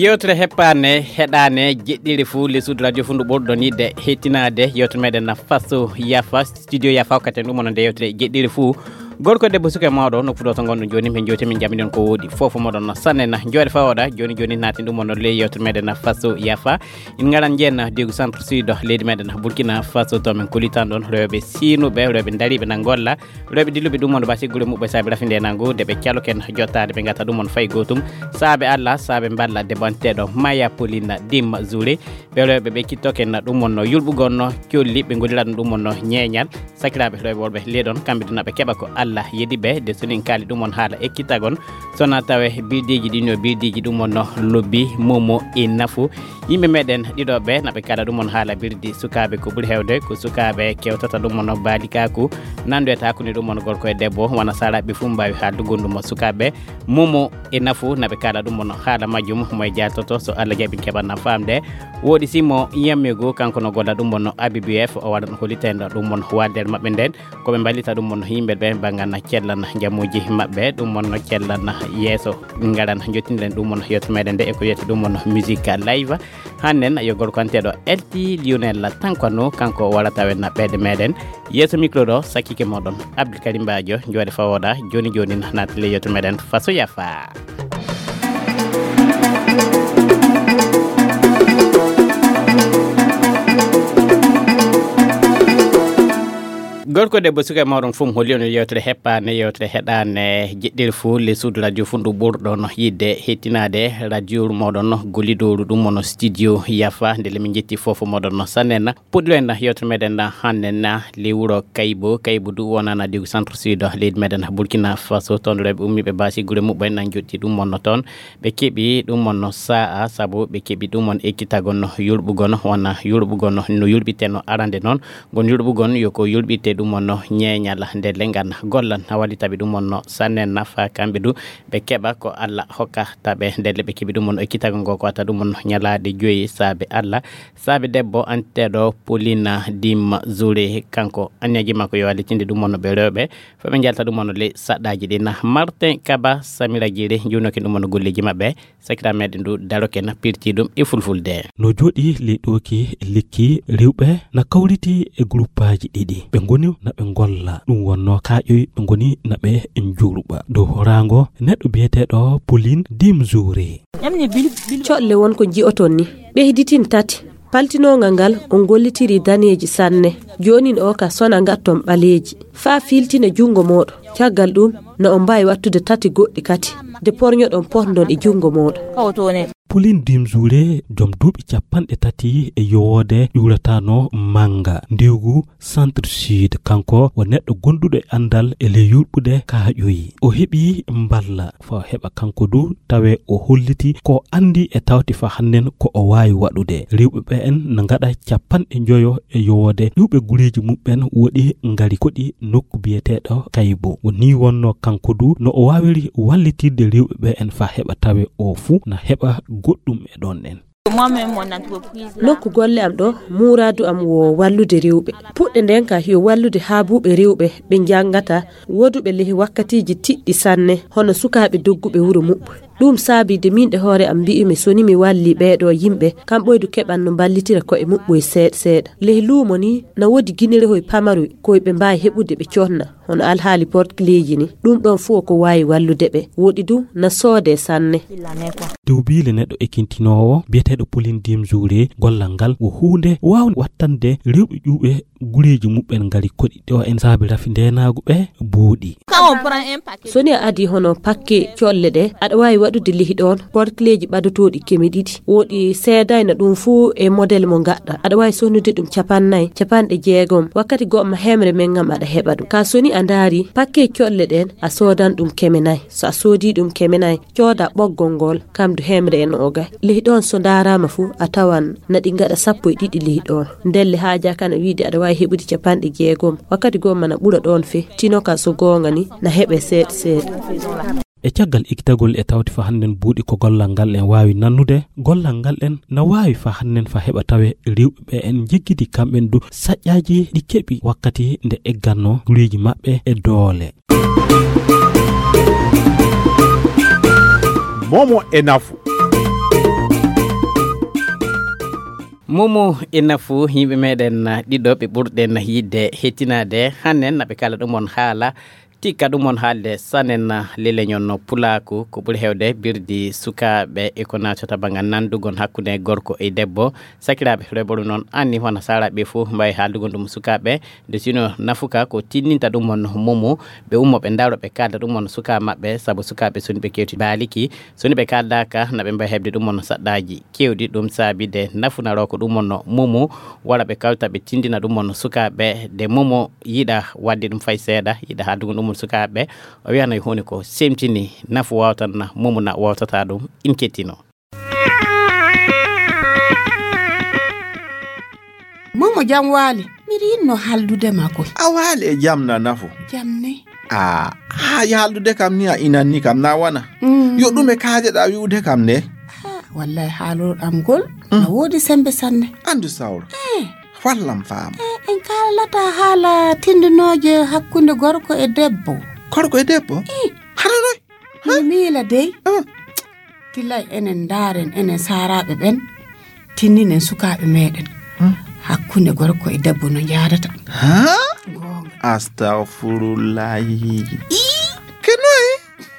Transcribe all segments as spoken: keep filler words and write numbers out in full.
Yewtere heppaane, heɗaane, jeɗɗire fuu, les suudu radio fuu ndu ɓurɗon yiɗde hettinaade. Yewtere meɗen na faso yafa, studio yafa, hokkate ɗum onon nde yewtere jeɗɗire fuu. Gorko e debbo, suka e mawɗo, nokku ɗo to ngonɗon jooni, min jewti, min jamiɗon ko woodi. Fofo moɗon no sanne na, jooɗe fawooɗa, jooni jooni naatin ɗum onon ley yewtere meɗen na faso yafa. In ngaran jeen diigu centre sud leydi meɗen Burkina Faso, to min kulitan ɗon rewɓe siinuɓe, rewɓe dariiɓe na ngolla. Rewɓe dilluɓe ɗum on basi gure muɓɓe saabe rafinde nangu, nde ɓe caloken jottaade, ɓe ngata ɗum on fay gootum. Saabe Allah, saabe mballa debbo anteeɗo Maya Paulina Dimma Zure. Ɓe rewɓe ɓe kittoken ɗum on no yulɓugon no colli, ɓe ngolira ɗum ɗum on no ñeeñal. Sakiraaɓe rewɓe worɓe leɗon, kamɓe duna ɓe keɓa ko Allah yedi ɓe, de sonin kaali ɗum on haala ekkitagon. Sona tawe birdiiji ɗin yo birdiiji ɗum on no lobbi, momo e nafu. Yimɓe meɗen ɗiɗo ɓe na ɓe kaala ɗum on haala birdi sukaaɓe ko ɓuri heewde, ko sukaaɓe kewtata ɗum on baalikaku, nanndo e taakuni ɗum on gorko e debbo, wona saraɓe fuu mbaawi haaldugo ɗum on sukaaɓe. Momo e nafu na ɓe kaala ɗum on haala majjum, mo e jaaltoto, so Allah jaɓi keɓan na faamde. Woodi Simo Yammigu, kanko no golla ɗum on A B B F, o waɗan holitendo ɗum on waalder maɓɓe nden. Ko ɓe mballita ɗum on yimɓe ɓe, bangan na cellan jamuuji maɓɓe, ɗum on no cellan yeeso. Ngaran jottindiren ɗum on yewtere meɗen nde e ko wiyete ɗum on musique live. Hannen yo gorko anteeɗo L T Lionel Tankano, kanko warata wen na ɓeɗe meɗen. Yeeso micro ɗo, sakkike moɗon Abdul Karim Badio, jooɗe fawooɗa, jooni jooni naati le yewtere meɗen faso yafa. Gorko debbo suka e mawɗon fof holli on yewtere heppaande, yewtere heɗaande jeɗɗere fof, les suudu radio fof ndu ɓurɗon yiɗde hettinaade radio moɗon gollidoru ɗum on studio yafa, nde le min jetti fof moɗon sanne na. Puɗɗiɗo en yewtere meɗen hannde na le wuro Kaybo, Kaybo du wonana digu centre sud leydi meɗen Burkina Faso, toon rewɓe ummiiɓe baasi gure muɓɓen nan jotti ɗum on toon. Ɓe keɓi ɗum on sa'a, sabu ɓe keɓi ɗum on ekkitagol no yulɓugol, wona yulɓugol no yulɓiteno arande noon. Ngon yulɓugol yo ko yulɓitte ɗum on ñeeñal nde lengan gollan, hawali taɓi ɗum on sanne nafa kamɓe du. Ɓe keɓa ko Allah hokka taɓe nde le ɓe keɓi ɗum on ekkitagol ngo ko wata ɗum on ñalaade joyi saabe Allah. Saabe debbo anteeɗo Paulina Dimma Zure, kanko anniyaji makko yo wallitinde ɗum on ɓe rewɓe. Fo ɓe njalta ɗum on le saɗɗaji ɗin. Martin Kaba, Samira Jire, juunoke ɗum on golleji maɓɓe. Sakira meɗen du daroke na pirti ɗum e fulfulde. No jooɗi le ɗooki lekki rewɓe na kawriti e gruppaaji ɗiɗi. Ɓe ngoni na ɓe ngolla. Ɗum wonno kaaƴoy ɓe ngoni na ɓe njuurɓa. Dow horaango neɗɗo biyeteeɗo Pauline Dimzure. Colle won ko ji'oton ni. Ɓeyditin tati. Paltinoongal ngal on gollitirii daneeji sanne. Joonin o ka sona ngatton ɓaleeji. Faa fiiltina junngo mooɗon. Caggal ɗum, na on mbaawi wattude tati goɗɗi kati. De porñoɗon potndon e junngo mooɗon. Pauline Dimzure, joom duuɓi capanɗe tati e yowoode, ƴuurataano Manga, ndiwgu Centre Sud. Kanko wo neɗɗo gonduɗo e anndal e ley yurɓude kaaƴoyi. O heɓi mballa faa heɓa kanko du tawe o holliti ko anndi e tawti faa hannden ko o waawi waɗude. Rewɓe ɓe en na ngaɗa capanɗe njoyo e yowoode. Ƴuwɓe gureeji muɓɓen woɗi ngari koɗi nokku biyeteeɗo Kaybo. Woni wonno kanko du no o waawiri wallitirde rewɓe ɓe en faa heɓa tawe o fuu na heɓa goɗɗum e ɗon en. Nokku golle am ɗo, muuraadu am wo wallude rewɓe. Puɗɗe nden ka yo wallude haabuɓe rewɓe ɓe njangata, woduɓe lehi wakkatiiji tiɗɗi sanne, hono sukaaɓe dogguɓe wuro muɓɓu. Ɗum saabi de min ɗe hoore am mbi'umi so ni mi walli ɓeeɗo yimɓe, kam ɓoydu keɓan no mballitira ko'e muɓɓu e seeɗa seeɗa. Lehi luumo ni, na woodi ginerehoy pamaroy koy ɓe mbaawi heɓude ɓe conna, hono alhaali portleeji ni. Ɗum ɗon fof ko waawi wallude ɓe. Woɗi du na soodee sanne. Duubiile neɗɗo ekintinoowo biyeteeɗo Pauline Dimzure, gollal ngal wo huunde waawnde wattande rewɓe ƴuuɓe gureeji muɓɓen ngari koɗi ɗo en saabi rafi ndeenaagu ɓe buuɗi. So ni a adii hono pakke colle ɗe, aɗa waawi waɗude lihi ɗoon portleeji ɓadotooɗi keme ɗiɗi. Woɗi seedayna ɗum fuu e model mo ngaɗɗa. Aɗa waawi soonude ɗum capannay, capanɗe jeegom. Wakkati go'o ma hemre men ngam aɗa heɓa ɗum. Ka so ni a ndaari pakke colle ɗeen, a soodan ɗum keme nay. So a soodii ɗum keme nay, cooda ɓoggol ngol, kam du hemre e noogay. Lihi ɗoon so ndaaraama fuu, a tawan na ɗi ngaɗa sappo e ɗiɗi lihi ɗoon. Ndelle haajaa kana wiide aɗa waawi heɓude capanɗe jeegom. Wakkati goo mana ɓura ɗoon fe, tino ka so goonga ni, na heɓe seeɗa seeɗa. E caggal ikkitagol e tawti fa hannden buuɗi ko gollal ngal en waawi nannude, gollal ngal en na waawi fa hannden fa heɓa tawe rewɓe ɓe en njeggidi kamɓen du saƴƴaaji ɗi keɓi wakkati nde egganno gureeji maɓɓe e doole. Momo e nafu. Momo e nafu yimɓe meɗen, ah, ɗiɗo ɓe ɓurɗen yiɗde hettinaade. Hannen na ɓe kala ɗum on haala, tikka ɗum on haalde sanen, ah, leleñon no pulaaku, ko ɓuri heewde birdi sukaaɓe e ko naatata banngal nanndugon hakkunde gorko e debbo. Sakiraaɓe, reɓoru noon anni hono saalaaɓe fof mbaawi haaldugon ɗum sukaaɓe. Nde sino nafuka ko tinninta ɗum on momo, ɓe ummo ɓe ndaro ɓe kaalda ɗum on sukaa maɓɓe, sabu sukaaɓe soni ɓe kewti baaliki, soni ɓe kaaldaaka na ɓe mbaawi heɓde ɗum on saɗɗaaji keewɗi. Ɗum saabi de nafunaroo ko ɗum on momo, wala ɓe kawta ɓe tindina ɗum on sukaaɓe, de momo yiɗa waɗde ɗum fay seeɗa, yiɗa haaldugo ɗum on sukaaɓe. O wiyano e huunde ko semtini nafu wawtan momo na wawtata ɗum, in kettino. Momo, jam waali. Miɗo yinno haaldude ma koy. A waali e jam na nafu. Jam ne? A, haa haaldude kam ni a inanni kam na wana. Mm. Yo ɗum e kaajeɗa wi'ude kam ne. Ha, wallay haalol am ngol. Mm. Na woodi sembe sanne. Andu sawro. Eh. Wallam faam. Eh, en kaalata haala tindinooje hakkunde gorko e debbo. Gorko e debbo? Eh. Hano noy? Mi miila dey. Ah. Tilay enen ndaaren, enen saaraaɓe ɓen, tinninen sukaaɓe meɗen. Hmm. Hakkunde gorko e debbo no njaadata. Ha? Goonga. Astagfirullahi. Ii. Ke noy?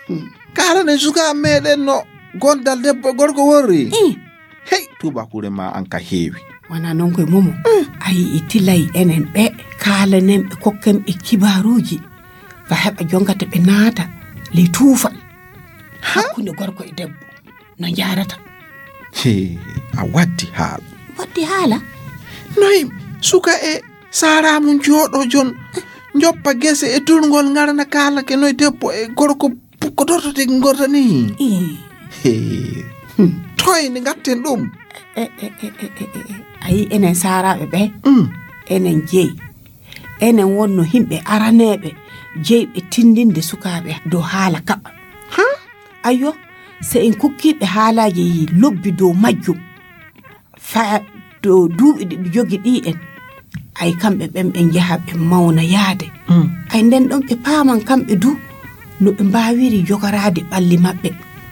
Hmm. Kaalanen sukaaɓe meɗen no gondal debbo e gorko worri? Ii. Hey, tuubakure ma an ka heewi. Wana non koye momo. Mm. A yi'i tilay enen ɓe, kaalanen ɓe, kokken ɓe kibaaruuji. Fa heɓa jongata ɓe naata ley tuufal. Ha? Hakkunde gorko e debbo. No njaarata. He, a waddi haala. Waddi haala? Noy, suka e saara mum jooɗo jon, njoppa gese e durngol ngarana kaala ke noy debbo e gorko pukkotorto de gorta ni. Ii. He. Hmm. Toy ne ngatten ɗum. E, e, e, e, e, e. A yi'i enen saaraaɓe ɓe? Mm. Enen jeyi. Enen wonno yimɓe araneeɓe jeyɓe tindinde sukaaɓe dow haala kaɓa. Ha? Ayyo, so en kokkiiɓe haalaaji lobbi dow majjum, fa dow duuɓi ɗi ɓe jogi ɗi en, ay kamɓe ɓen ɓe njaha ɓe mawna yaade. Mm. Ay nden ɗon ɓe paaman kamɓe du no ɓe mbaawiri jogoraade ɓalli maɓɓe.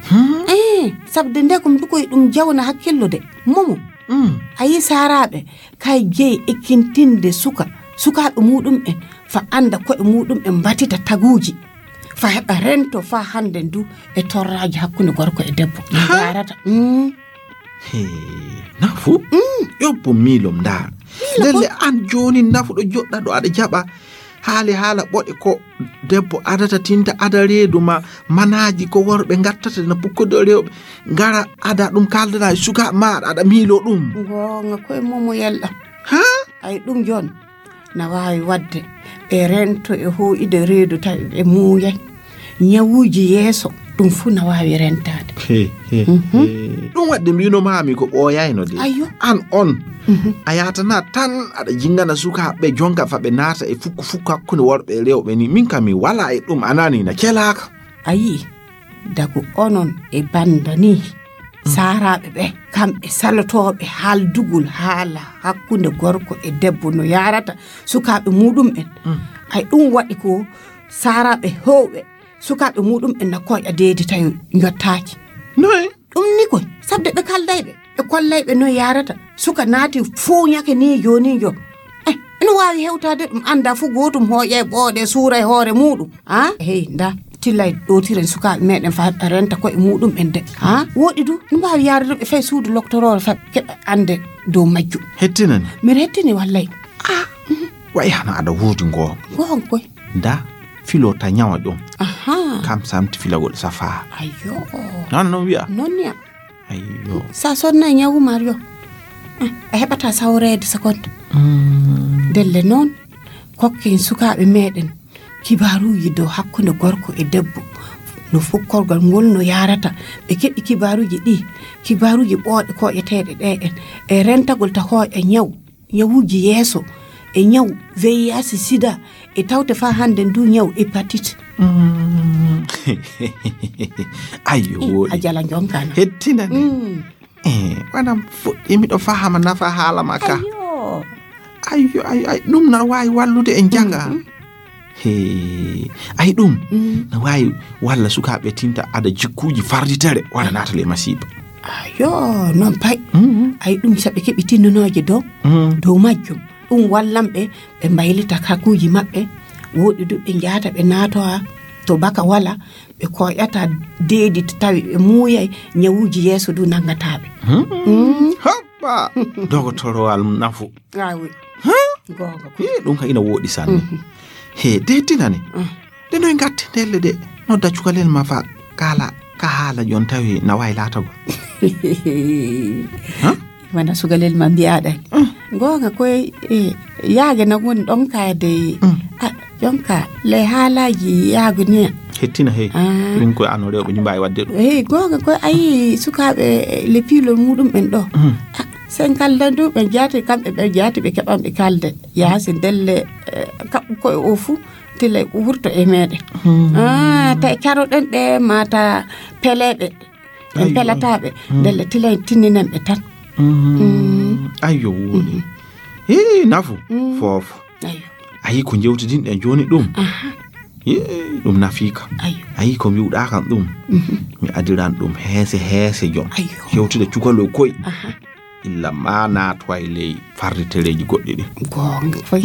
Hmm? Eh, sabde nde ko mi dukoy ɗum jawna hakkillo de. Momo. Mm. A yi saaraaɓe, kay jeyi ekkintinde suka, sukaaɓe muuɗum en, fa annda ko'e muuɗum en mbatita taguuji. Fa heɓa rento fa hannde ndu e torraaji hakkunde gorko e debbo. Ha? Ndarata. Mm. He, nafu? Mm. Yobbo miilom ndaa. Miilo lelle ko? An jooni nafu ɗo joɗɗa ɗo aɗa jaɓa. Haali haala ɓoɗe ko debbo adata tinta ada reedu ma, manaaji ko worɓe ngattata na pukkude rewɓe. Ngara ada ɗum kaldana e suka ma aɗa miilo ɗum. Goonga koye momo yelɗa. Ha? Ay ɗum joon. Na waawi waɗde ɓe rento e hoo'ude reedu tawi ɓe muuyay. Ñawuuji yeeso, ɗum fuu na waawi rentaade. He, he, mhm, he. Ɗum waɗde mbino maami ko ɓooyayno de. Ayyo. An on, mhm, a yaatana tan aɗa jingana sukaaɓe jonka fa ɓe naata e fukku fukku hakkunde worɓe e rewɓe ni. Min kam mi wala e ɗum, a nani na celaaka. A yi'i, dagu onon e banda ni. Saaraaɓe ɓe, kamɓe salotooɓe haaldugol haala hakkunde gorko e debbo no yaarata sukaaɓe muuɗum en. Mm. Ay ɗum waɗi ko saaraaɓe heewɓe sukaaɓe muuɗum en na koyɗa deedi tawi njottaaki. Noy? Ɗum ni koy, sabde ɓe kaldayɓe, ɓe kollayɓe no yaarata. Suka naati fuuñake ni jooni jo. Eh, ina waawi hewtaade ɗum annda fu gootum hooƴa e ɓooɗe suura e hoore muuɗum. Ah, hey, nda, tillay ɗootiren sukaaɓe meɗen fa renta koye muuɗum en de. Ah, woɗi du, no mbaawi yaade ɗum e fay suudu loktoroore fa keɓa annde dow majjum. Hettinani? Miɗa hettini wallay. Ah, mhm. Wayi hana aɗa woodi ngoo. Ngoo koy. Nda, filo ta ñawa ɗum. Aha. Kam samti filagol safa. Ayyo. Non, non wi'a. Non niya. Ayyo. Sa sonna e ñawu Mario. Eh, a heɓata sawreede seconde. Mm. Ndelle noon, kokken sukaaɓe meɗen kibaaruuji dow hakkunde gorko e debbo. No fukkorgal ngol no yaarata. Ɓe keɓi kibaaruuji ɗi, kibaaruuji ɓooɗe koƴeteeɗe ɗe en. E rentagol ta hooƴa ñaw, ñawuuji yeeso, e ñaw V I H, sida, e tawte fa hannde ndu ñaw hépatite. Mm. Ayyo, eh, woɗi. A jala jonka na. Hettinani. Mm. Eh, waɗam fuɗɗi miɗo fahama nafa haala ma ka. Ayyo. Ayyo, ayyo, ay, ɗum na waawi wallude en janga. Mhm. He, ay ɗum, mm, na waawi walla sukaaɓe tinta ada jikkuuji farditere, wala naatale masiiba. Yo, noon pay. Ay ɗum, so ɓe keɓi tinnunooje dow dow majjum, ɗum wallan ɓe, ɓe mbaylita kakuuji maɓɓe. Woɗɗi du ɓe njahata ɓe naatowa to baka wala, ɓe koyata deedi to tawi ɓe muuyay, ñawuuji yeeso du nanngataa ɓe. Hoppa. Dogotorowal nafu. Awi. Goonga. Ɗum ka ina wooɗi sanne. He deetinani. Nde noy ngatti ndelle de nodda cukalel ma fa kaala ka haala jon tawi na waawi laatagol. Wona sukalel ma mbiyaɗen. Goonga koye. Yaage na woni ɗon kayde. Jonka le haalaaji yaago ni. Hettina hey. Ɗum koye ano rewɓe ni mbaawi waɗde ɗum. Hey, goonga koye. Ayi sukaaɓe le piilol muɗum ɓen ɗo. Sen kaldan du ɓe jaati kamɓe ɓe jaati ɓe keɓan ɓe kalde. Yaasi ndelle kaɓɓu koye o fuu tile wurto e meɗen. Ah, ta caroɗen ɓe mata peleɓe en pelataɓe. Ndelle tile tinninen ɓe tan. Ayyo woni. Hii nafu. Fofo. Ayi ko jewtidinɗen joni ɗum. Ɗum nafiika. Ayi ko mbiwɗa kan ɗum. Mi adiran ɗum heese heese jon. Yewtude cukaloy koy. Illa ma naatowa e ley farritereeji goɗɗi ɗin. Goonga foy.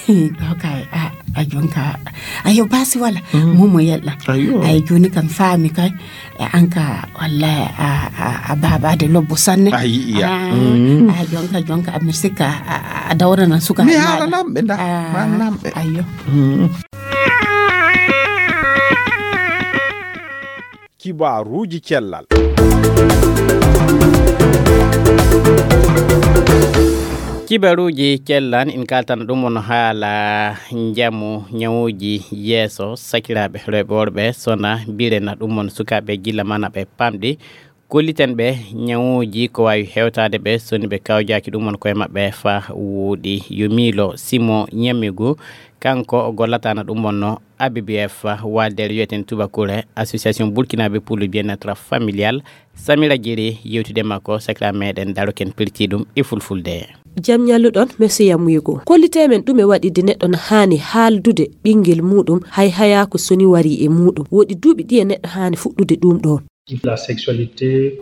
Ɗo kay a jonka ayo basi wala. Momo yella. Ay joni kam faami kay. An ka walla a babade lobbo sanne. A yi'iya. A jonka jonka a mirsikka a dawrana suka mi haala namɓe nda. Namɓe ayo. Kibaruuji cellal. Kibaruuji cellal in kaltana ɗum on haala njamu ñawuuji yeeso sakiraaɓe rewɓe worɓe sona mbirena ɗum on sukaaɓe gilla mana ɓe pamɗi kolliten ɓe ñawuuji ko waawi hewtaade ɓe soni ɓe kawjaaki ɗum on koye maɓɓe fa wuuɗi yo miilo simo ñammigu. Kanko o gollatana ɗum on no abbf waldere wiyeten tubakure association burkinaaɓe pour le bien-être familial. Samira jiri yewtude makko sakira meɗen daroken pirti ɗum e fulfulde. Jam ñalluɗon monsieur yamuyego kollite men ɗum e waɗide neɗɗo no haani haaldude ɓinngel muɗum hay haya ko soni wari e muɗum woɗi duuɓi ɗi e neɗɗo haani fuɗɗude ɗum ɗon.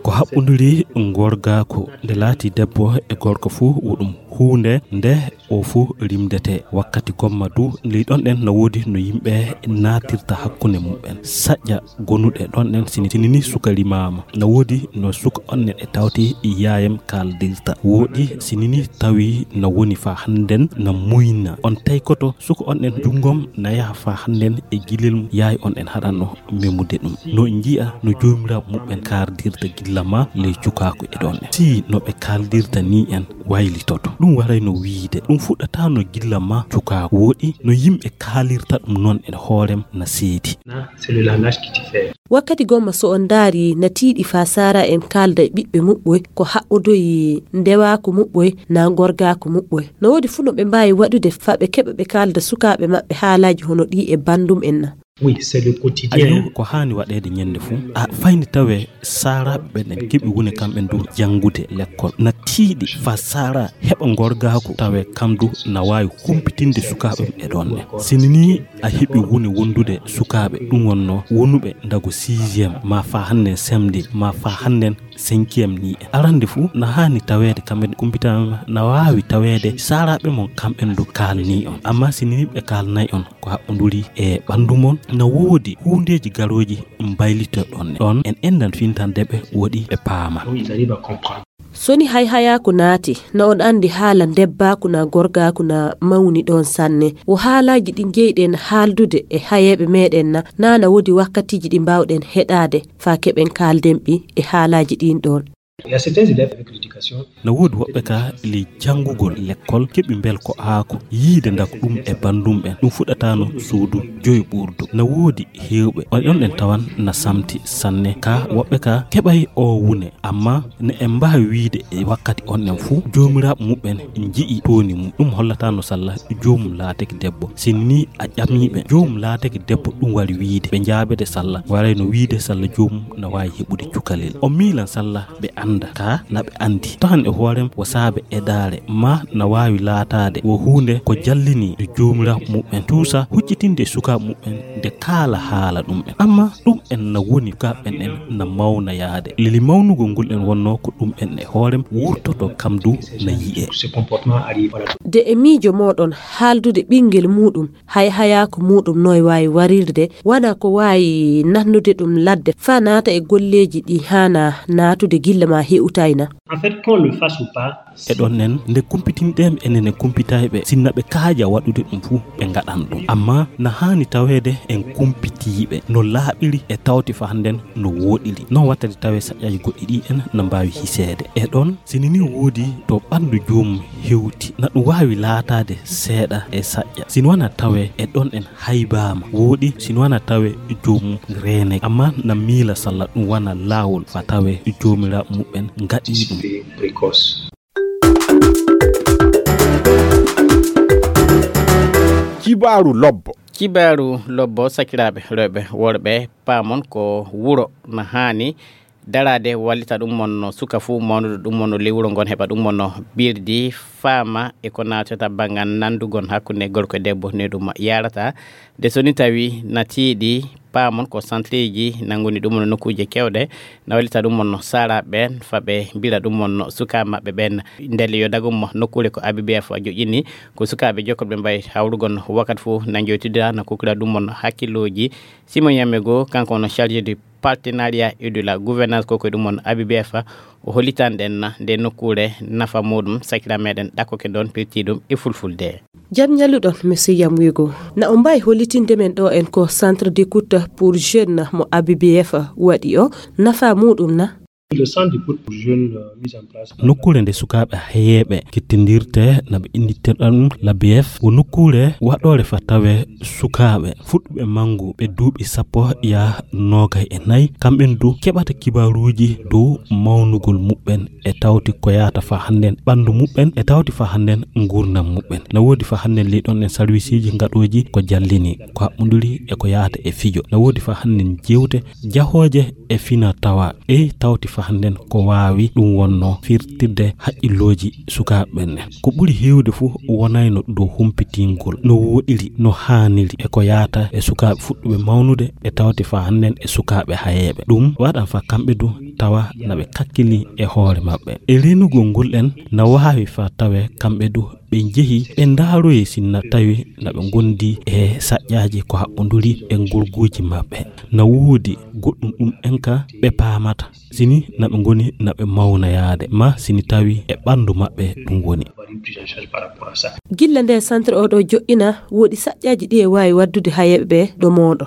Ko haɓɓondiri ngorgaaku nde laati debbo e gorko fuu wo ɗum huunde nde o fuu rimdete wakkati gomma du ley ɗon ɗen na woodi no yimɓe naatirta hakkunde muɓɓen saƴƴa gonuɗe ɗon ɗen sini sinini suka rimaama na woodi no suka on neɗɗe tawti yaayam kaaldirta woodi sinini tawi na woni fa hannden na muyna on taykoto suka on ɗen junngom na yaha fa hannden e gilel yaay on ɗen haɗanno memude ɗum no nji'a no joomiraaɓe muɓɓen kaardirta gilla ma ley cukaaku e ɗon en si no ɓe kaaldirta ni en waylitoto ɗum warayno wiide ɗum fuɗɗataano gilla ma cukaaku woɗi no yimɓe kaalirta ɗum noon e hoorem na seedi. Wakkati gomma so on ndaari na tiiɗi faa saara en kaalda e ɓiɓɓe muɓɓoy ko haɓɓodoyi ndewaaku muɓɓoy naa ngorgaaku muɓɓoy no woodi fuu no ɓe mbaawi waɗude faa ɓe keɓa ɓe kaalda sukaaɓe maɓɓe haalaaji hono ɗii e banndum en na. Ayo ko haani waɗeede ñande fuu a fayni tawe saaraaɓe ɓen en keɓi wune kamɓen du janngude lekkol na tiiɗi faa saara heɓa ngorgaaku tawe kam du na waawi humpitinde sukaaɓe e ɗoon ne sini nii a heɓi wune wondude sukaaɓe ɗum wonnoo wonuɓe ndago sixième maa faa hannden semde maa faa hannden cinquième ni en arande fuu na haani taweede kamɓe kumpitama na waawi taweede saaraaɓe mon kamɓen du kaalni on amma sini nii ɓe kaalnay on ko haɓɓonduri e ɓanndu mon na woodi huundeeji garooji mbaylito ɗon ɗon en endan fintande ɓe woɗi ɓe paama. Soni hay hayaaku naati na on anndi haala ndebbaaku naa gorgaaku na mawni ɗoon sanne wo haalaaji ɗi njeyɗen haaldude e hayeeɓe meeɗen na naa na woodi wakkatiiji ɗi mbaawɗen heɗaade faa keɓen kaalden ɓi e haalaaji ɗiin ɗoon. Na woodi woɓɓe ka ley janngugol lekkol keɓi mbelko aako yiide ndak ɗum e banndum ɓen ɗum fuɗɗataano suudu joyi ɓuurdu na woodi heewɓe on ɗon ɗen tawan na samti sanne ka woɓɓe ka keɓay oo wune amma ne en mbaawi wiide e wakkati on ɗen fuu joomiraaɓe muɓɓen nji'i tooni mum ɗum hollataano salla joomum laatake debbo sinni a ƴamiiɓe joomum laatake debbo ɗum wari wiide ɓe njaabede salla warayno wiide salla joomum na waawi heɓude cukalel o miilan salla ɓe annda ka na ɓe anndi. Tahan e hoorem wo saabe edaare ma na waawi laataade wo huunde ko jallini e joomiraaɓe muɓɓen, tuusa huccitinde e sukaaɓe muɓɓen nde kaala haala ɗum'en. Amma ɗum'en na woni sukaaɓe ɓen en na mawna yaade. Leli mawnugol ngol en wonnoo ko ɗum'en e hoorem wurtoto kam du na yi'ee. De e miijo mooɗon haaldude ɓinngel muuɗum, hay hayaako muuɗum noy waawi warirde, wana ko waawi nannude ɗum ladde faa naata e golleeji ɗi haanaa naatude gilla maa hewtayna. En fait, qu'on le fasse ou pas, e ɗon en nde kumpitinɗen enen e kumpitayɓe, sinna ɓe kaaja waɗude ɗum fuu ɓe ngaɗan ɗum. Amma na haani taweede en kumpitiiɓe no laaɓiri e tawti faa hannden no wooɗiri. Non wattade tawee saƴƴaaji goɗɗi ɗi en na mbaawi hiseede. E ɗon, sini ni woodi to ɓanndu joomum hewti, na ɗum waawi laataade seeɗa e saƴƴa. Sini wana tawee e ɗon en haybaama, wooɗi sini wana tawee joomum reenay. Amma na miila salla ɗum wana laawol faa tawee joomiraaɓe muɓɓen ngaɗii ɗum. Kibaaru lobbo. Kibaaru lobbo, sakiraaɓe rewɓe, worɓe, paamon ko wuro na haani daraade wallita ɗum mon no suka fuu mawnude ɗum mon no ley wuro ngon heɓa ɗum mon no birdi faama e ko naatata banngal nanndugon hakkunde gorko e debbo ne ɗum yarata. De so ni tawi na tiiɗi, paamon ko centreji nannguni ɗum no nokkuuje kewɗe na wallita ɗum mon no saara ɓen fa ɓe mbira ɗum mon no suka maɓɓe ɓen. Ndelle yo dagum mo nokkuure ko A B B F joƴƴini ko sukaaɓe jokkoɓe mbayi hawrugol no wakkati fuu na njoytidira na kukkira ɗum mon no hakkillooji. Simon Yamego, kanko no chargé du partenariat et de la gouvernance, ko ko ɗum on A B B F o hollitan ɗen na nde nokkuure nafa muɗum, sakira meɗen ɗakkoke ɗon pirti ɗum e fulfulde. Jam ñalluɗon, Monsieur Yamwego. Na o mbawi hollitinde men ɗo en ko Centre d'écoute pour jeunes mo A B B F waɗi o, nafa muɗum na? Le centre d'écoute pour jeunes, euh, mis en place par Nokkuure nde sukaaɓe hayeeɓe kettindirte na ɓe inndirta ɗum la B F, wo nokkuure waɗoore fa tawe sukaaɓe fuɗɗuɓe manngu ɓe duuɓi sappo yaa noogay e nayi, kamɓen du keɓata kibaaruuji dow mawnugol muɓɓen e tawti ko yaata fa hannden ɓanndu muɓɓen e tawti fa hannden nguurndam muɓɓen. Na woodi fa hannden ley ɗon en sarwisiiji ngaɗooji ko jallini, ko haɓɓunduri e ko yaata e fijo. Na woodi fa hannden jeewte jahooje e fina tawa. Ɗe tawti fa hannden ko waawi ɗum wonno firtirde haqqillooji sukaaɓe ɓen. Ko ɓuri heewde fuu wonayno dow humpitingol no woɗiri, no haaniri e ko yaata e sukaaɓe fuɗɗuɓe mawnude e tawti fa hannden e sukaaɓe hayeeɓe. Ɗum waɗan fa kamɓe du tawa na ɓe kakkili e hoore maɓɓe. E reenugol ngol en na waawi fa tawe kamɓe du ɓe njehi ɓe ndaaroyi sinna tawi na ɓe ngondi e saƴƴaaji ko haɓɓunduri e ngolguuji maɓɓe. Na woodi goɗɗum ɗum en ka ɓe paamata. Sini na ɓe ngoni na ɓe mawnayaade ma sini tawi e ɓanndu maɓɓe ɗum woni. Gilla nde centre oɗo joɗɗina, woodi saƴƴaaji ɗi e waawi waddude hayeeɓe ɓe ɗo mooɗo.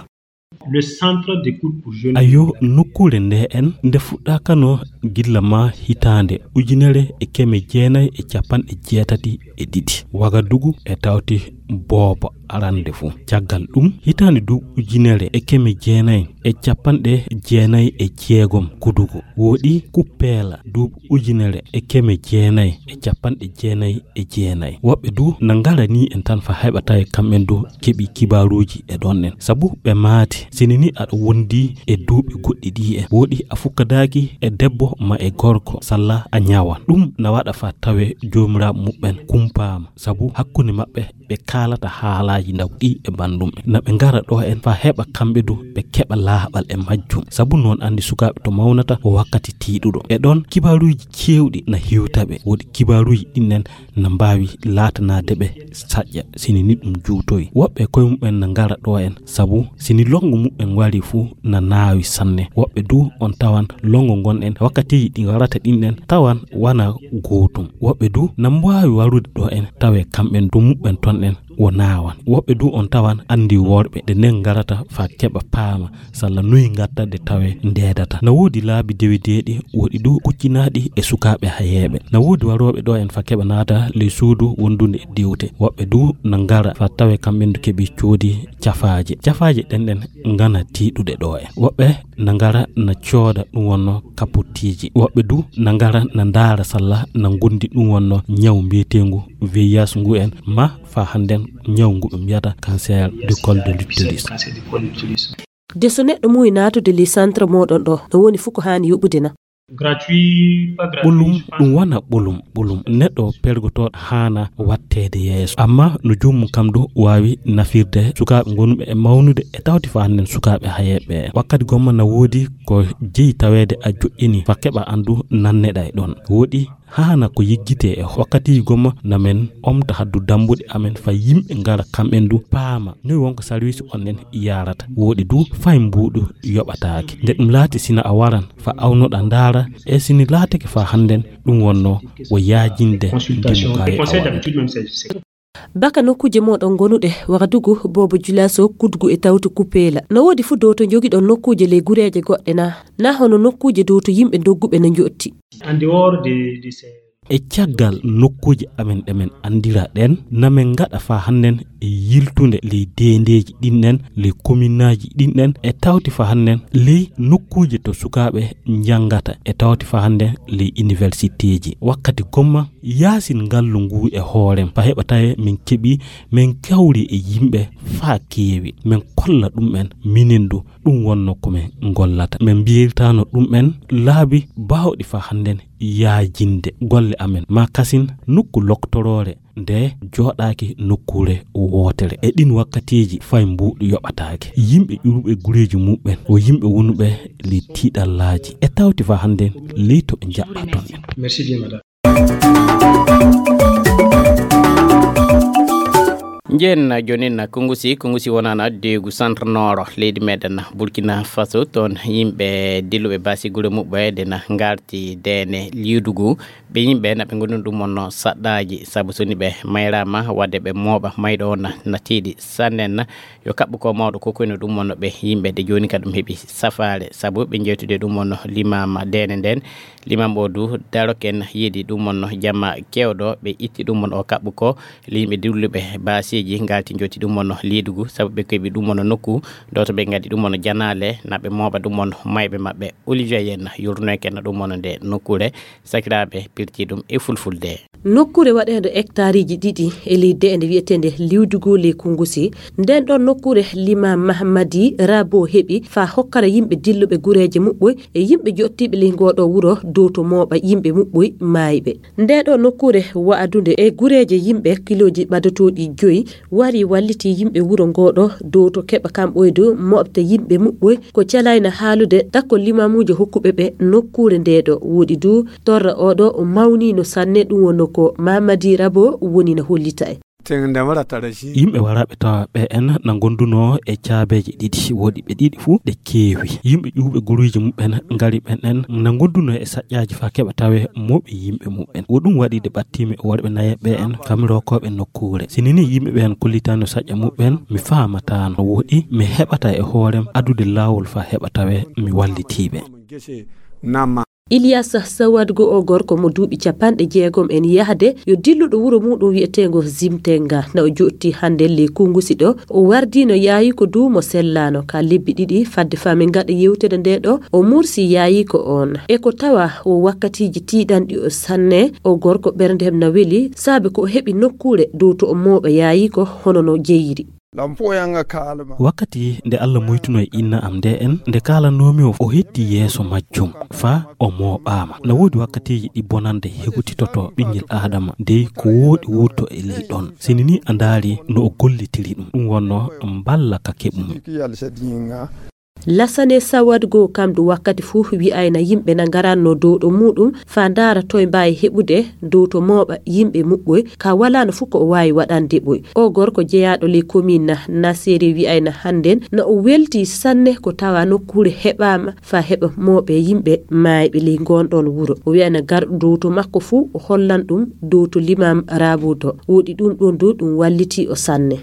Le centre d'écoute pour jeunes. Ayo, nokkuure nde en nde fuɗɗaakano gilla ma hitaande ujunere e keme jeenayi e capanɗe jeetati e ɗiɗi. Wagadugu e tawti booba arande fuu. Caggal ɗum, hitaande du ujunere e keme jeenayi e capanɗe jeenayi e jeegom Kudugu. Woɗi Kuppeela duuɓi ujunere e keme jeenayi e capanɗe jeenayi e jeenayi. Woɓɓe du na ngarani en tan fa heɓa tawi kamɓen du keɓi kibaaruuji e ɗon en. Sabu ɓe maati, sini ni aɗa wondi e duuɓi goɗɗi ɗi en. Woɗi a fukkadaaki e debbo ma e gorko, salla a ñawan. Ɗum na waɗa fa tawe joomiraaɓe muɓɓen kumpaama. Sabu hakkunde maɓɓe ɓe kaalata haalaaji ndaw ɗi e banndum en. Na ɓe ngara ɗo en fa heɓa kamɓe du ɓe keɓa laaɓal e majjum. Sabu noon anndi sukaaɓe to mawnata ko wakkati tiiɗuɗo. E ɗon kibaaruuji ceewɗi na hiwta ɓe. Woodi kibaaruuji ɗin en na mbaawi laatanaade ɓe saƴƴa sini ni ɗum juutoyi. Woɓɓe koye muɓɓen na ngara ɗo en sabu sini lonngo muɓɓen wari fuu na naawi sanne. Woɓɓe du on tawan lonngo ngon en wakkatiiji ɗi ngarata ɗin en tawan wana gootum. Woɓɓe du na mbaawi warude ɗo en tawe kamɓen du muɓɓen ton en wo naawan. Woɓɓe du on tawan anndi worɓe ɗe nden ngarata fa keɓa paama salla noyi ngatta de tawe ndeedata. Na woodi laabi dewedeeɗi, woɗi du kuccinaaɗi e sukaaɓe hayeeɓe. Na woodi warooɓe ɗo en fa keɓa naata ley suudu wondunde e diwte. Woɓɓe du na ngara fa tawe kamɓen du keɓi coodi cafaaje. Cafaaje ɗen ɗen ngana tiiɗude ɗo en. Woɓɓe na ngara na cooda ɗum wonno kapottiiji. Woɓɓe du na ngara na ndaara salla na ngondi ɗum wonno ñaw mbiyeteengu V I H ngu en ma fa hannden ñaw ngu ɓe mbiyata cancer du col de l'utérus. De so neɗɗo muuyi naatude li centre mooɗon ɗo, no woni fuu ko haani yoɓude na? Gratuit, pas gratuit, ɓolum je pense ɗum wona ɓolum ɓolum neɗɗo pergotooɗo haana watteede yeeso, amma no joomum kam du waawi nafirde sukaaɓe ngonɓe e mawnude e tawti fa hannden sukaaɓe hayeeɓe ɓe. Wakkati gomma na woodi ko jeyi taweede a joƴƴini fa keɓa anndu nanneɗa e ɗon. Woɗi haana ko yejjitee e wakkatiiji gomma na men omta haddu dambuɗe amen fa yimɓe ngara kamɓen du paama noy wonko sarwiisi on nen yarata. Woɗi du fay mbuuɗu yoɓataake. Nde ɗum laati sina a waran fa awnoɗa ndaara e sini laatake fa hannden ɗum wonno wo yaajinde consultation ndimu kay e conseil awano. D'habitude même c'est c'est Baka nokkuuje mooɗon gonuɗe, Wagadugu, Bobo Julaso, Kudgu e Tawtu Kupeela. No woodi fu dow to jogiɗon nokkuuje ley gureeje goɗɗe na? Na hono nokkuuje dow to yimɓe dogguɓe na njotti? En dehors de, de ces E caggal nokkuuje amen ɗe men anndira ɗen, na men ngaɗa fa hannden e yiltunde ley deendeeji ɗin ɗen, ley kominnaaji ɗin ɗen, e tawti fa hannden ley nokkuuje to sukaaɓe njanngata, e tawti fa hannden ley iniwersiteeji. Wakkati gomma, yaasin ngallu nguu e hoorem, fa heɓa tawe min keɓi, min kawri e yimɓe faa keewi, min kolla ɗum'en minen du, ɗum wonno ko min ngollata. Min mbiyirtaano ɗum'en laabi baawɗi fa hannden yaajinde golle amen. Maa kasin nokku loktoroore nde jooɗaaki nokkuure wootere. E ɗin wakkatiiji fay mbuuɗu yoɓataake. Yimɓe ƴuruɓe gureeji muɓɓen, wo yimɓe wonuɓe ley tiiɗallaaji. E tawti fa hannden ley to ɓe njaɓɓa ton en. Merci bien, madame. Njen jonin na Kungusi. Kungusi wonana deegu centre nord leydi meɗen Burkina Faso. Toon yimɓe dilluɓe baasi gure muɓɓe de na ngarti deene liidugu. Ɓe yimɓe na ɓe ngoni ɗum wonno saɗɗaaji, sabu so ni ɓe mayraama, wadde ɓe mooɓa mayɗo on na, na tiiɗi sanne na. Yo kaɓɓu ko mawɗo ko koyno ɗum wonno ɓe yimɓe de jooni ka ɗum heɓi safaare, sabu ɓe jeytude ɗum wonno limaama deene nden. Limam o du daroken yiidi ɗum wonno jamma kewɗo, ɓe itti ɗum wonno o kaɓɓu ko le yimɓe dilluɓe baasiiji ngalti jotti ɗum wonno liidugu, sabu ɓe keɓi ɗum wonno nokku ɗo to ɓe ngadi ɗum wonno janaale, na ɓe mooɓa ɗum wonno mayɓe maɓɓe. Olivier Yen yurnoyken ɗum wonno nde nokkuure. Sakiraaɓe pirti ɗum e fulfulde. Nokkuure waɗeende hectareeji ɗiɗi e ley deende wiyeteende Liwdugu ley Kungusi. Nden ɗon nokkuure Limaam Mahamadi Rabo heɓi faa hokkara yimɓe dilluɓe gureeje muɓɓoy e yimɓe joɗtiiɓe ley ngooɗo wuro dow to mooɓa yimɓe muɓɓoy maayɓe. Ndee ɗoo nokkuure wa'adunde e gureeje yimɓe kilooji ɓadotooɗi joyi wari walliti yimɓe wuro ngooɗo dow to keɓa kamɓoy dow moɓta yimɓe muɓɓoy ko calayna haalude takko limaamuujo hokkuɓe ɓe nokkuure ndee ɗoo. Woɗi duu torra oo ɗoo o mawniino sanne, ɗum wonno ko Mamadi Rabo woni na hollita en. Yimɓe waraaɓe tawa ɓe en na ngondunoo e caabeeje ɗiɗi, woɗi ɓe ɗiɗi fuu ɗe keewi. Yimɓe ƴuwɓe guruuji muɓɓen ngari ɓen en na ngondunoo e saƴƴaaji faa keɓa tawe mooɓi yimɓe muɓɓen. Wo ɗum waɗi de ɓattiimi e worɓe nayeeɓe ɓe en kamirokooɓe nokkuure. Si ni ni yimɓe ɓen kollitaano saƴƴa muɓɓen, mi faamataano. Woɗi mi heɓata e hoorem adude laawol faa heɓa tawe mi wallitiiɓe. Ilyas Sawadgo, o gorko mo duuɓi capanɗe jeegom en yahde, yo dilluɗo wuro muuɗum wi'eteengo Zimtenga. Na o joɗti hannde ley Kungusi ɗo, o wardiino yaayiiko duu mo sellaano. Ka lebbi ɗiɗi fadde faa min ngaɗa yewtere ndee ɗoo, o mursi yaayiiko oon. E ko tawa wo wakkatiiji tiiɗanɗi o sanne, o gorko ɓerndem na weli, saabe ko o heɓi nokkuure dow to o mooɓa yaayiiko hono no jeyiri. Wakkati nde Alla moytunoo e inna am ndee en, nde kaalanoomi o, o hetti yeeso majjum, faa o mooɓaama. Na woodi wakkatiiji ɗi bonannde hegotitotoo ɓinngel Aadama, dey ko wooɗi wuurto e ley ɗon. Si ni ni a ndaari no o gollitiri ɗum, ɗum wonnoo mballa ka keɓumi. Lasane Sawadgo kam du wakkati fuu wi'ayna yimɓe na ngaranno dow ɗo muuɗum faa ndaara toy mbaawi heɓude dow to mooɓa yimɓe muɓɓoy, ka walaano fuu ko o waawi waɗande ɓoy. O gorko jeyaaɗo ley komiin na Naseri wi'ayna hannden na o weltii sanne ko tawa nokkuure heɓaama faa heɓa mooɓe yimɓe maayɓe ley ngoon ɗoon wuro. O wi'ayna garɗo dow to makko fuu o hollan ɗum dow to Limaam Raabuuto. Woɗi ɗum ɗoon du ɗum wallitii o sanne.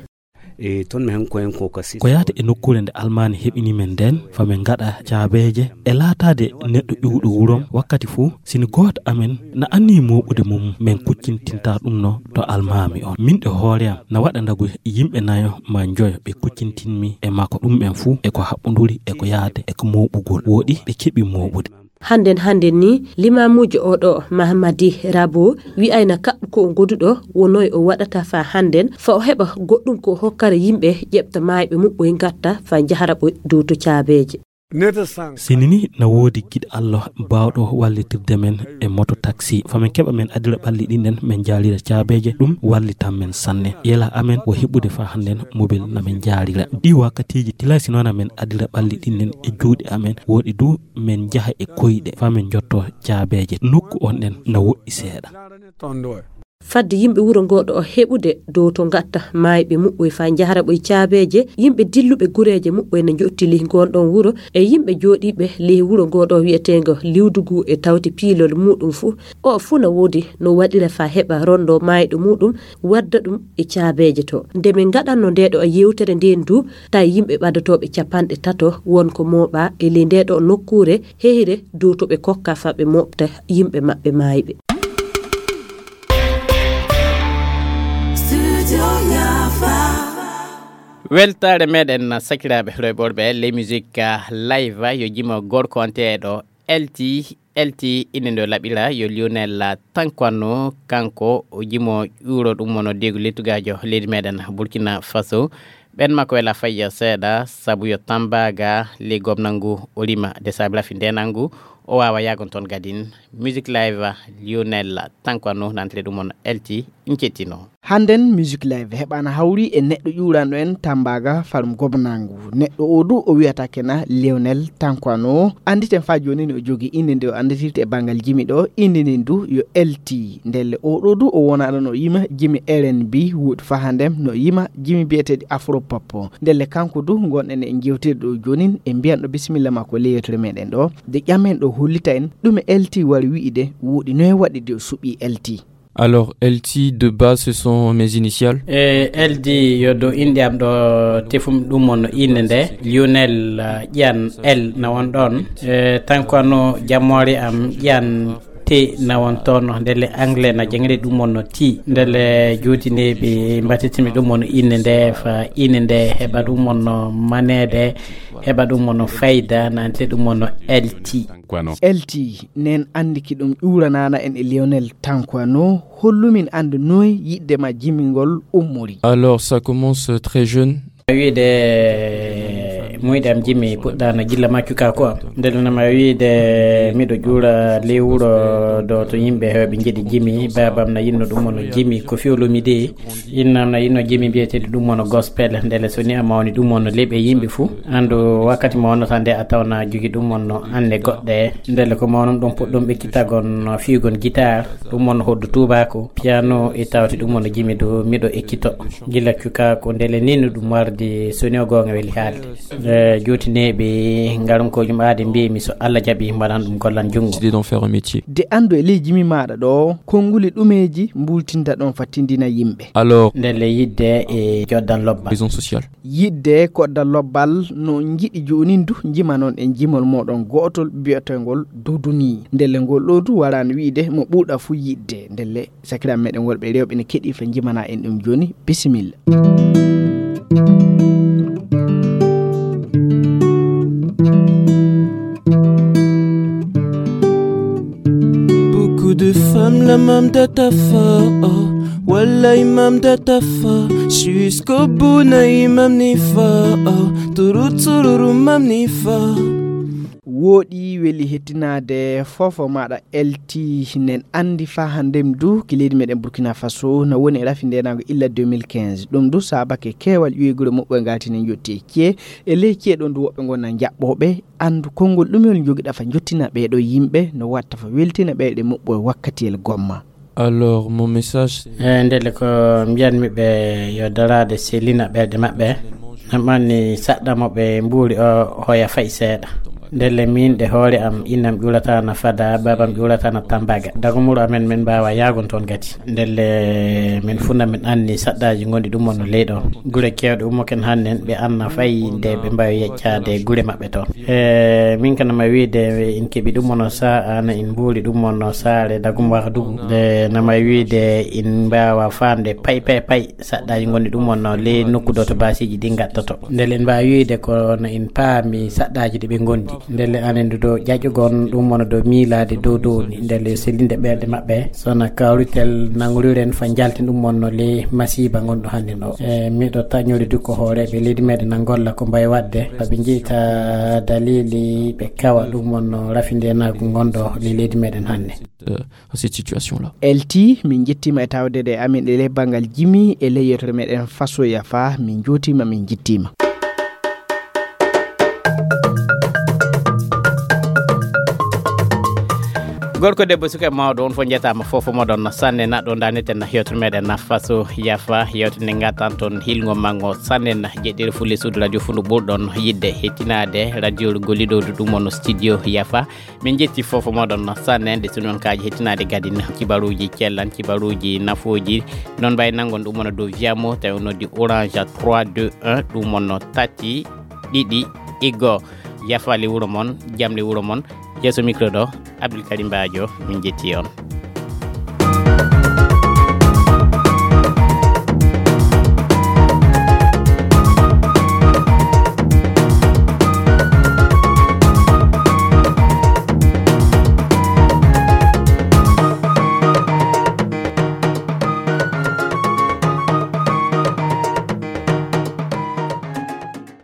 E toon mi hen ko hen ko kasi. Ko yaata e nokkuure nde almaani heɓini men nden, fa min ngaɗa caabeeje e laataade neɗɗo ƴuwɗo wurom wakkati fuu, si ni gooto amen na annii mooɓude mum, min kuccintinta ɗum no to almaami on. Min e hoore am na waɗa ndagu yimɓe nayo maa njoyo ɓe kuccintinmi e makko. Ɗum en fuu e ko haɓɓunduri e ko yaade e ko mooɓugol. Woɗi ɓe keɓi mooɓude. Hannden hannden nii, limaamuujo oo ɗoo, Mahamadi Rabo, wi'ayna kaɓɓu ko o goduɗo, wonoy o waɗata faa hannden, faa o heɓa goɗɗum ko o hokkara yimɓe ƴeɓta maayɓe muɓɓoy ngatta faa njahara ɓoy dow to caabeeje. Sinini na woodi giɗo Allah baawɗo wallitirde men e moto taxi. Fa men keɓa men adira ɓalli ɗin ɗen, men jaalira caabeeje, ɗum wallitan men sanne. Yela amen wo heɓude fa hannden mobil na men jaalira. Ɗi wakkatiiji tilasi noon amen adira ɓalli ɗin ɗen e juuɗe amen. Woodi du men jaha e koyɗe fa men jotto caabeeje. Nokku on ɗen na woɗɗi seeɗa. Fadde yimɓe wuro ngoo ɗoo heɓude dow to ngatta maayɓe muɓɓoy faa njahra ɓoy caabeeje, yimɓe dilluɓe gureeje muɓɓoy na njottili ngoon ɗoon wuro, e yimɓe jooɗiiɓe ley wuro ngoo ɗoo wi'eteengo Liwdugu e tawti piilol muuɗum fuu. Oo fuu na woodi no waɗira faa heɓa ronndoo maayɗo muuɗum, wadda ɗum e caabeeje to. Nde min ngaɗanno ndee ɗoo yeewtere ndeen du, tawi yimɓe ɓadotooɓe capanɗe tato won ko mooɓaa e ley ndee ɗoo nokkuure hehre dow to ɓe kokka faa ɓe mooɓta yimɓe maɓɓe maayɓe. Weltaare meɗen sakiraaɓe rewɓe ley musique live yo jimo gorko onteeɗo L T L T inde nde laɓira yo Lionel Tankwano, kanko o jimo ƴuuro ɗum wono degu lettugaajo leydi meɗen Burkina Faso. Ɓen makko wela fayya seeɗa sabu yo tambaga ley gomnal ngu o rima de saabi rafi ndenal ngu o waawa yaagon toon gadin. Musique live Lionel Tankwano nantire ɗum on L T. Ncettino. Hannden Musique Live heɓaana hawri e neɗɗo ƴuuranɗo en Tambaga Farum Gobnangu. Neɗɗo oo du o wiyata kena Lionel Tankwano. Annditen faa jooni no o jogii innde nde o annditirte e banngal jimi ɗoo. Innde nden du yo L T. Ndelle oo ɗoo du o wonaano no yima jimi R N B, woodi faa hannden no yima jimi biyeteeɗi Afropop. Ndelle kanko du ngonɗen e jewtidde ɗoo joonin, e mbiyan ɗo bisimilla makko ley yewtere meɗen ɗoo. De ƴamen ɗoo hollita en ɗume L T wari wi'ude, woodi noye waɗi de o suɓii L T. Alors, L T de base, ce sont mes initiales. E L D yo dow inɗe am ɗo tefum ɗum on innde nde Lionel uh, ƴan L na won ɗon. E tanko no jammoore am ƴan te na won toon ndele anglais na jangre ɗum on ti ndele juutineɓe mbatitimi ɗum on innde nde fa innde nde heɓa ɗum on manede heɓa ɗum on fayda nante ɗum on L T. L T nen anndi ki ɗum ƴuuranana en e Lionel Tankwano. Hollumin anndu noy yiɗde ma jimingol ummori. Alors ça commence très jeune. Wiide muyɗe am jimi puɗɗano gilla maccukaku am ndelenama wiide miɗo juura ley wuro do to yimɓe hewɓe jiɗi jimi babam na yinno ɗum ono jimi ko fiolumi de innam na yinno jimi mbiyeteɗi ɗum ono gospel ndele so ni a mawni ɗum ono leeɓe yimɓe fou andu wakkati mawnata nde a tawna jogi ɗum ono anne goɗɗe ndele ko mawnum ɗum puɗɗum ɓekkitagon fiigon guitar ɗum ono hoddu tubako piano e tawti ɗum ono jimi do miɗo ekkito gila cuka ko ndele ni no ɗum warde soni o gonga weli haalde e jotineɓe ngarum ko jum aade mbimi so allah jaaɓi mbaɗan ɗum gollan junngo décidé d'en faire un métier. De anndu e ley jimi maaɗa ɗo konnguli ɗumeeji mbuultinta ɗon fattindina yimɓe. Alors ndelle yidde e joddan lobbal raison sociale. Yidde koɗdal lobbal no njiɗi joonin du njima noon e jimol mooɗon go'otol bi'eteengol duduni. Ndelle ngol ɗo du waraani wi'de mo ɓuuɗa fuu yiɗde ndelle. Sakiraaɓe meɗen worɓe e rewɓe ne keɗii fa njimana en ɗum jooni. Bisimilla. Beaucoup de femmes la mam data fa oh. Wallahi mam data fa jusqu'au bout na imam ni fa oh. Turu tururu mam ni fa. Wooɗi weli hettinaade fofo maɗa L T hinen anndi faa hanndem du ki leydi meɗen Burkina Faso na woni e rafi ndenaango illa deux mille quinze. Ɗum du saabake keewal ƴuwegure moɓɓoy ngaltini jotti e ciye. E ley ciye ɗon du woɓɓe ngon na jaɓɓooɓe. Anndu konngol ɗumel njogiɗa fa jottina ɓeeɗo yimɓe no watta fa weltina ɓeyɗe moɓɓoy wakkatiyel gomma. Alors mon message. E ndelle ko mbiyanmi ɓe yo daraade selina ɓerɗe maɓɓe. Namani saɗɗa mo ɓe mbuuri o hoya fay seeɗa. Ndelle min ɗe hoore am innam ƴuulatana fada babam ƴuulatana tambaga dagumuro amen min mbawa yagon toon gati. Ndelle min funa min anni saɗɗaji gondi ɗum on no leyɗo gure kewɗe ummoken hannen ɓe anna fay nde ɓe mbawi yeccade gure maɓɓe toon. E min kanama wiide in keɓi ɗum on sa ana in mbuuri ɗum on saare dagum wahdugu nde nama wiide in mbawa fande pay pay pay. Saɗɗaji gondi ɗum on no ley nokku ɗo to basiji ɗi gattoto ndele en mbawi wiide ko no en paami saɗɗaji ɗi ɓe gondi. Ndelle anen ɗo ƴaƴugon ɗum wona dow miilaade dow dow ni, ndelle yo sellinde ɓerɗe maɓɓe. Sona kawritel nangoriren fa njaltin ɗum wonno le masiiba ngonɗo hannde ɗo. E miɗo taƴnori du ko hooreeɓe leydi meɗen na ngolla ko mbayi waɗde, fa ɓe njeyta dalili ɓe kawa ɗum wonno rafindenaagu ngonɗo le leydi meɗen hannde. Euh, à cette situation-là. L T, min njettiima e tawde e amin e ley banngal jimi e ley yewtere meɗen Faso Yafa, min njuutiima, min njettiima. Gorko, debbo, suka e mawɗo, on fof njetaama, fof moɗon sanne. Naɗo ndaneten yewtere meɗen na Faso Yafa, yewtere nde ngattan toon hilngo mango sanne na jeɗɗere fulle suudu radio fundu ɓurɗon yidde hettinaade radio golliɗo ɗum on studio Yafa. Min njetti fof moɗon sanne, nde sunon kaaji hettinaade gadin kibaruuji cellan, kibaruuji nafooji. Noon mbayi nanngon ɗum wona dow Viamo, tawi on noddi Orange trois deux un, ɗum wonno tati ɗiɗi iggo. Yafa le wuro mon, jam le wuro mon. Yeeso micro ɗo, Abdoul Karim Badio, min njetti on.